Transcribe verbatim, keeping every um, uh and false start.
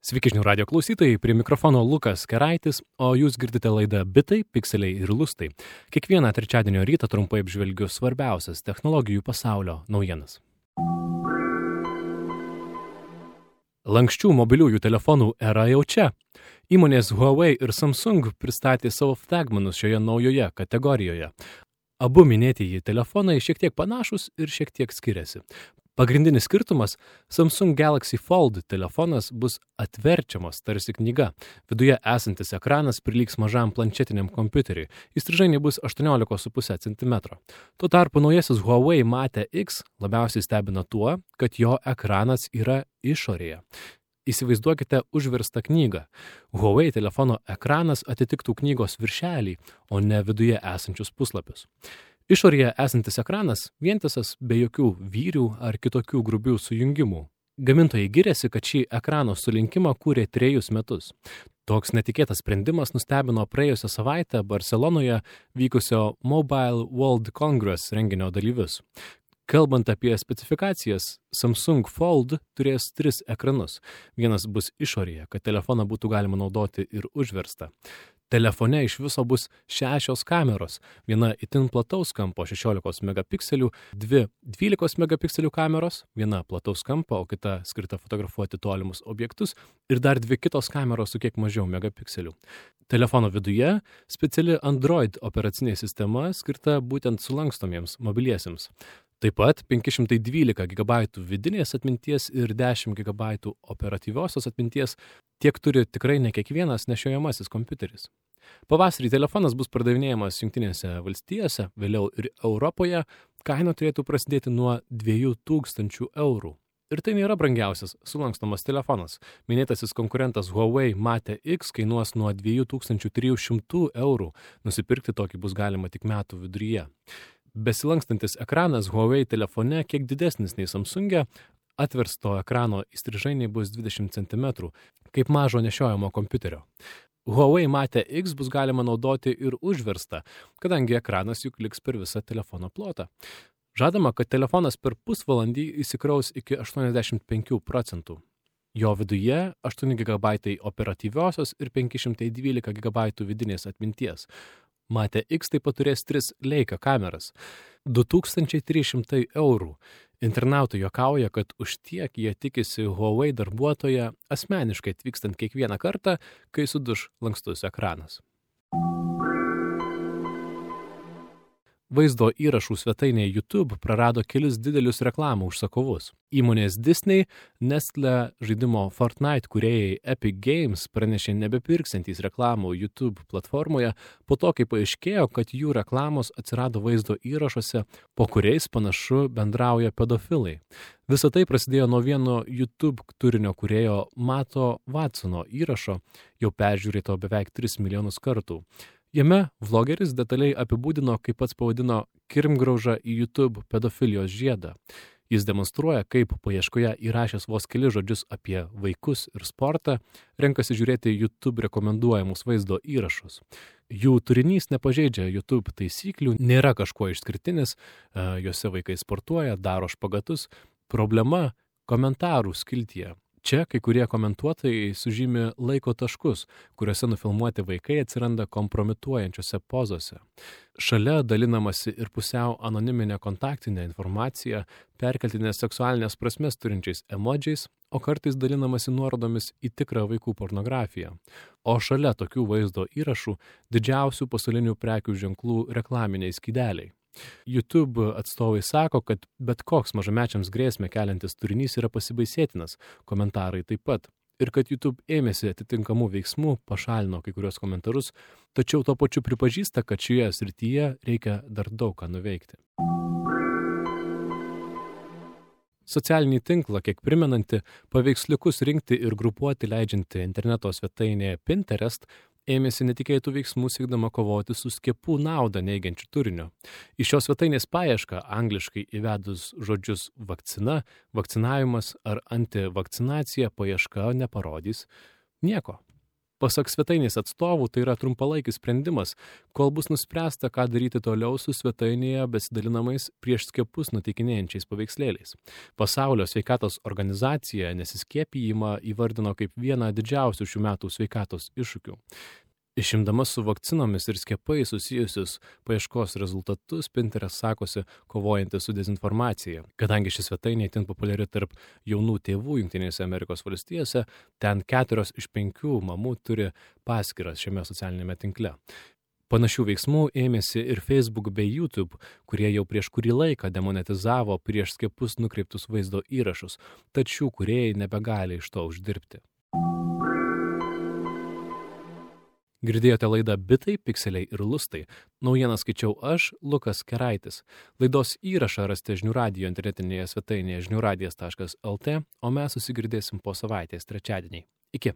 Sveiki žinių radio klausytojai, prie mikrofono Lukas Keraitis, o jūs girdite laidą Bitai, Pikseliai ir Lustai. Kiekvieną trečiadienio rytą trumpai apžvelgiu svarbiausias technologijų pasaulio naujienas. Lanksčių mobiliųjų telefonų era jau čia. Įmonės Huawei ir Samsung pristatė savo flagmanus šioje naujoje kategorijoje. Abu minėtieji telefonai šiek tiek panašus ir šiek tiek skiriasi. Pagrindinis skirtumas – Samsung Galaxy Fold telefonas bus atverčiamas tarsi knyga. Viduje esantis ekranas prilygs mažam planšetiniam kompiuteriui. Įstrižainiai bus aštuoniolika su puse centimetro. Tuo tarpu naujasis Huawei Mate X labiausiai stebina tuo, kad jo ekranas yra išorėje. Įsivaizduokite užverstą knygą. Huawei telefono ekranas atitiktų knygos viršelį, o ne viduje esančius puslapius. Išorėje esantis ekranas vientisas be jokių vyrių ar kitokių grubių sujungimų. Gamintojai giriasi, kad šį ekrano sulinkimą kūrė trejus metus. Toks netikėtas sprendimas nustebino praėjusią savaitę Barcelonoje vykusio Mobile World Congress renginio dalyvius. Kalbant apie specifikacijas, Samsung Fold turės tris ekranus. Vienas bus išorėje, kad telefoną būtų galima naudoti ir užverstą. Telefone iš viso bus šešios kameros, viena itin plataus kampo šešiolikos megapikselių, dvi dvylikos megapikselių kameros, viena plataus kampo, o kita skirta fotografuoti tolimus objektus ir dar dvi kitos kameros su kiek mažiau megapikselių. Telefono viduje speciali Android operacinė sistema skirta būtent sulankstomiems mobiliesiems. Taip pat penki šimtai dvylika gigabaitų vidinės atminties ir dešimt gigabaitų operatyviosios atminties tiek turi tikrai ne kiekvienas nešiojamasis kompiuteris. Pavasarį telefonas bus pardavinėjamas Jungtinėse valstijose, vėliau ir Europoje, kaina turėtų prasidėti nuo dviejų tūkstančių eurų. Ir tai nėra brangiausias sulankstomas telefonas. Minėtasis konkurentas Huawei Mate X kainuos nuo dviejų tūkstančių trijų šimtų eurų. Nusipirkti tokį bus galima tik metų viduryje. Besilankstantis ekranas Huawei telefone kiek didesnis nei Samsunge, atversto ekrano įstrižainiai bus dvidešimt centimetrų, kaip mažo nešiojamo kompiuterio. Huawei Mate X bus galima naudoti ir užverstą, kadangi ekranas juk liks per visą telefono plotą. Žadama, kad telefonas per pusvalandį įsikraus iki aštuoniasdešimt penkių procentų. Jo viduje aštuoni gigabaitai operatyviosios ir penki šimtai dvylika gigabaitų vidinės atminties. Mate X taip pat turės tris Leica kameras. du tūkstančiai trys šimtai eurų. Internautai juokauja, kad už tiek jie tikisi Huawei darbuotoją asmeniškai atvykstant kiekvieną kartą, kai suduš lankstus ekranas. Vaizdo įrašų svetainė YouTube prarado kelis didelius reklamų užsakovus. Įmonės Disney, Nestle žaidimo Fortnite kūrėjai Epic Games pranešė nebepirksiantys reklamų YouTube platformoje po to, kai paaiškėjo, kad jų reklamos atsirado vaizdo įrašuose, po kuriais panašu bendrauja pedofilai. Visa tai prasidėjo nuo vieno YouTube turinio kūrėjo Mato Watsono įrašo, jau peržiūrėto beveik tris milijonus kartų. Jame vlogeris detaliai apibūdino, kaip pats pavadino, kirmgraužą į YouTube pedofilijos žiedą. Jis demonstruoja, kaip paieškoje įrašęs vos keli žodžius apie vaikus ir sportą, renkasi žiūrėti YouTube rekomenduojamus vaizdo įrašus. Jų turinys nepažeidžia YouTube taisyklių, nėra kažkuo išskirtinis, juose vaikai sportuoja, daro špagatus. Problema komentarų skiltyje. Čia kai kurie komentuotojai sužymi laiko taškus, kuriuose nufilmuoti vaikai atsiranda kompromituojančiose pozose. Šalia dalinamasi ir pusiau anoniminė kontaktinė informacija, perkeltinės seksualinės prasmės turinčiais emodžiais, o kartais dalinamasi nuorodomis į tikrą vaikų pornografiją. O šalia tokių vaizdo įrašų didžiausių pasaulinių prekių ženklų reklaminiai skydeliai. YouTube atstovai sako, kad bet koks mažamečiams grėsmę keliantis turinys yra pasibaisėtinas, komentarai taip pat, ir kad YouTube ėmėsi atitinkamų veiksmų, pašalino kai kurios komentarus, tačiau tuo pačiu pripažįsta, kad šioje srityje reikia dar daug ką nuveikti. Socialinį tinklą, kiek primenanti, paveiksliukus rinkti ir grupuoti leidžianti interneto svetainė Pinterest, ėmėsi netikėtų veiksmų siekdama kovoti su skiepų naudą neigiančiu turiniu. Iš šios svetainės paiešką angliškai įvedus žodžius vakcina, vakcinavimas ar antivakcinacija paieška neparodys nieko. Pasak svetainės atstovų, tai yra trumpalaikis sprendimas, kol bus nuspręsta, ką daryti toliau su svetainėje besidalinamais prieš skiepus nuteikinėjančiais paveikslėliais. Pasaulio sveikatos organizacija nesiskiepijimą įvardino kaip vieną didžiausių šių metų sveikatos iššūkių. Išimdama su vakcinomis ir skiepais susijusius paieškos rezultatus, Pinterest sakosi kovojanti su dezinformacija. Kadangi ši svetainė itin populiari tarp jaunų tėvų Jungtinėse Amerikos valstijose, ten keturios iš penkių mamų turi paskyras šiame socialinėme tinkle. Panašių veiksmų ėmėsi ir Facebook bei YouTube, kurie jau prieš kurį laiką demonetizavo prieš skiepus nukreiptus vaizdo įrašus, tačiau kūrėjai nebegali iš to uždirbti. Girdėjote laidą Bitai, Pikseliai ir Lustai. Naujieną skaičiau aš, Lukas Keraitis. Laidos įrašą rasite Žinių radijo internetinėje svetainėje žinių radijas taškas el tė, o mes susigirdėsim po savaitės trečiadienį. Iki.